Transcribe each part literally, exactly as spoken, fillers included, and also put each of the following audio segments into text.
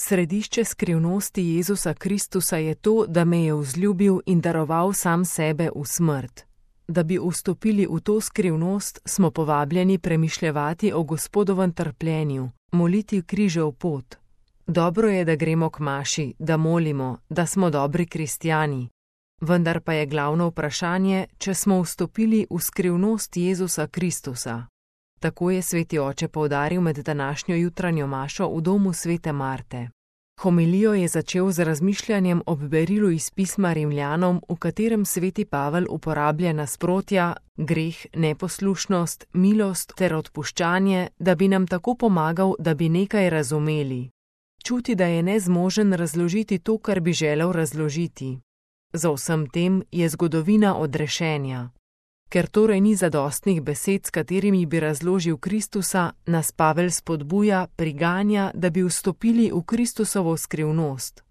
Središče skrivnosti Jezusa Kristusa je to, da me je vzljubil in daroval sam sebe v smrt. Da bi vstopili v to skrivnost, smo povabljeni premišljevati o Gospodovem trpljenju, moliti križev pot. Dobro je, da gremo k maši, da molimo, da smo dobri kristjani. Vendar pa je glavno vprašanje, če smo vstopili v skrivnost Jezusa Kristusa. Tako je sveti oče poudaril med današnjo jutranjo mašo v domu svete Marte. Homilijo je začel z razmišljanjem ob berilu iz pisma Rimljanom, v katerem sveti Pavel uporablja nasprotja, greh, neposlušnost, milost ter odpuščanje, da bi nam tako pomagal, da bi nekaj razumeli. Čuti, da je nezmožen razložiti to, kar bi želel razložiti. Za vsem tem je zgodovina odrešenja. Ker torej ni zadostnih besed, s katerimi bi razložil Kristusa, nas Pavel spodbuja, priganja, da bi vstopili v Kristusovo skrivnost.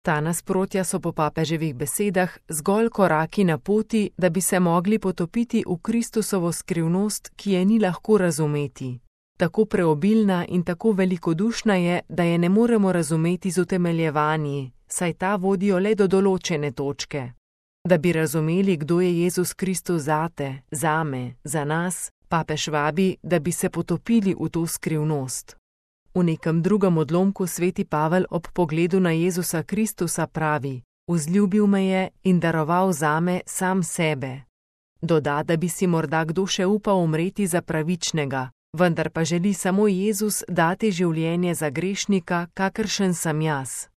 Ta nasprotja so po papeževih besedah zgolj koraki na poti, da bi se mogli potopiti v Kristusovo skrivnost, ki je ni lahko razumeti. Tako preobilna in tako velikodušna je, da je ne moremo razumeti z utemeljevanji, saj ta vodijo le do določene točke. Da bi razumeli, kdo je Jezus Kristus zate, zame, za nas, papež vabi, da bi se potopili v to skrivnost. V nekem drugem odlomku sveti Pavel ob pogledu na Jezusa Kristusa pravi: vzljubil me je in daroval zame sam sebe. Doda, da bi si morda kdo še upal umreti za pravičnega, vendar pa želi samo Jezus dati življenje za grešnika, kakršen sem jaz.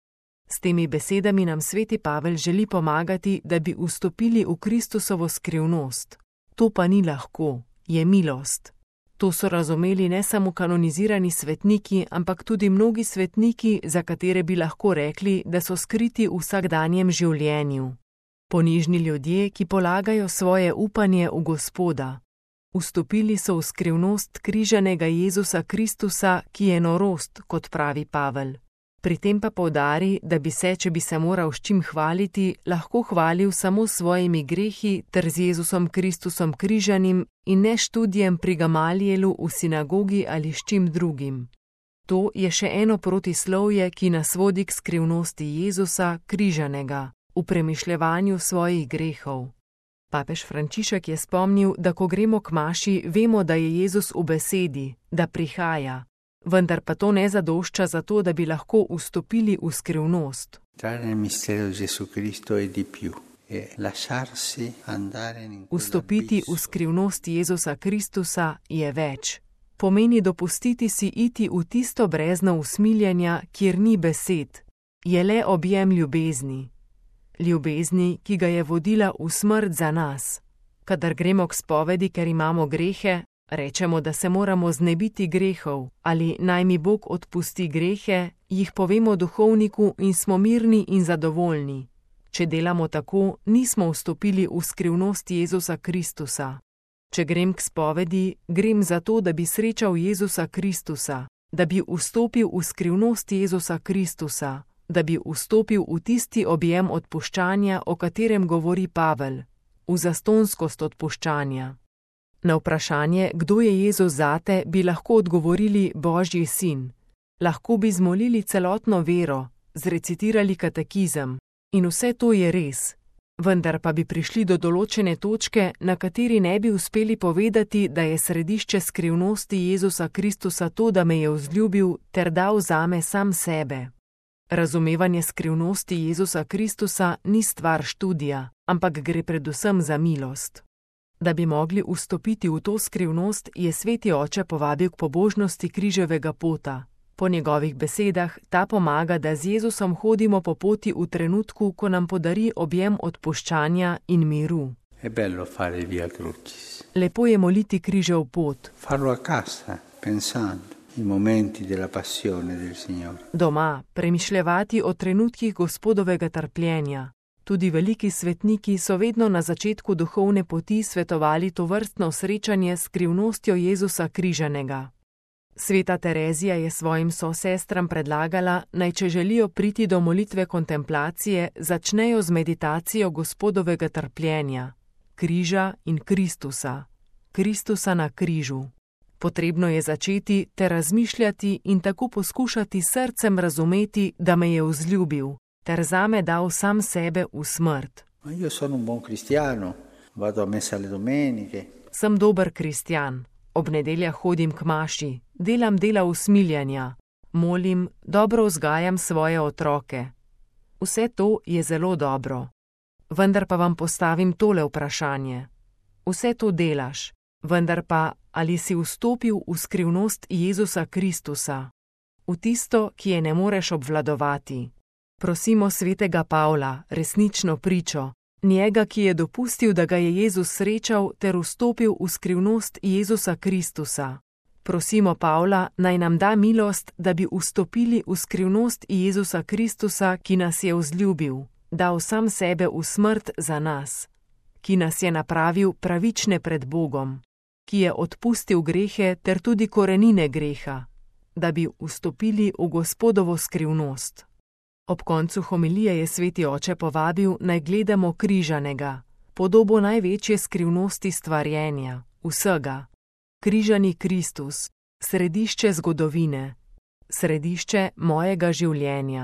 S temi besedami nam sveti Pavel želi pomagati, da bi vstopili v Kristusovo skrivnost. To pa ni lahko, je milost. To so razumeli ne samo kanonizirani svetniki, ampak tudi mnogi svetniki, za katere bi lahko rekli, da so skriti v vsakdanjem življenju. Ponižni ljudje, ki polagajo svoje upanje v Gospoda. Vstopili so v skrivnost križanega Jezusa Kristusa, ki je norost, kot pravi Pavel. Pri tem pa poudari, da bi se, če bi se moral s čim hvaliti, lahko hvalil samo s svojimi grehi ter z Jezusom Kristusom križanim in ne študijem pri Gamalijelu v sinagogi ali s čim drugim. To je še eno protislovje, ki nas vodi k skrivnosti Jezusa križanega, v premišljevanju svojih grehov. Papež Frančišek je spomnil, da ko gremo k maši, vemo, da je Jezus v besedi, da prihaja. Vendar pa to ne zadošča za to, da bi lahko vstopili v skrivnost. Vstopiti v skrivnost Jezusa Kristusa je več. Pomeni dopustiti si iti v tisto brezno usmiljenja, kjer ni besed, je le objem ljubezni. Ljubezni, ki ga je vodila v smrt za nas. Kadar gremo k spovedi, ker imamo grehe, rečemo, da se moramo znebiti grehov, ali naj mi Bog odpusti grehe, jih povemo duhovniku in smo mirni in zadovoljni. Če delamo tako, nismo vstopili v skrivnost Jezusa Kristusa. Če grem k spovedi, grem zato, da bi srečal Jezusa Kristusa, da bi vstopil v skrivnost Jezusa Kristusa, da bi vstopil v tisti objem odpuščanja, o katerem govori Pavel, v zastonskost odpuščanja. Na vprašanje, kdo je Jezus zate, bi lahko odgovorili Božji sin. Lahko bi zmolili celotno vero, zrecitirali katekizem. In vse to je res. Vendar pa bi prišli do določene točke, na kateri ne bi uspeli povedati, da je središče skrivnosti Jezusa Kristusa to, da me je vzljubil ter dal zame sam sebe. Razumevanje skrivnosti Jezusa Kristusa ni stvar študija, ampak gre predvsem za milost. Da bi mogli vstopiti v to skrivnost, je sveti oče povabil k pobožnosti križevega pota. Po njegovih besedah ta pomaga, da z Jezusom hodimo po poti v trenutku, ko nam podari objem odpuščanja in miru. Lepo je moliti križev pot. Doma premišljevati o trenutkih Gospodovega trpljenja. Tudi veliki svetniki so vedno na začetku duhovne poti svetovali tovrstno srečanje s skrivnostjo Jezusa križanega. Sveta Terezija je svojim sosestram predlagala, naj če želijo priti do molitve kontemplacije, začnejo z meditacijo Gospodovega trpljenja, križa in Kristusa, Kristusa na križu. Potrebno je začeti te razmišljati in tako poskušati srcem razumeti, da me je vzljubil, ter zame dal sam sebe v smrt. Ma io sono un buon cristiano, vado a messa le domeniche. Sem dober kristjan. Ob nedeljah hodim k maši, delam dela usmiljanja, molim, dobro vzgajam svoje otroke. Vse to je zelo dobro. Vendar pa vam postavim tole vprašanje. Vse to delaš, vendar pa ali si vstopil v skrivnost Jezusa Kristusa, v tisto, ki je ne moreš obvladovati. Prosimo svetega Pavla, resnično pričo, njega, ki je dopustil, da ga je Jezus srečal ter vstopil v skrivnost Jezusa Kristusa. Prosimo Pavla, naj nam da milost, da bi vstopili v skrivnost Jezusa Kristusa, ki nas je vzljubil, dal sam sebe v smrt za nas, ki nas je napravil pravične pred Bogom, ki je odpustil grehe ter tudi korenine greha, da bi vstopili v Gospodovo skrivnost. Ob koncu homilije je sveti oče povabil, naj gledamo križanega, podobo največje skrivnosti stvarjenja, vsega. Križani Kristus, središče zgodovine, središče mojega življenja.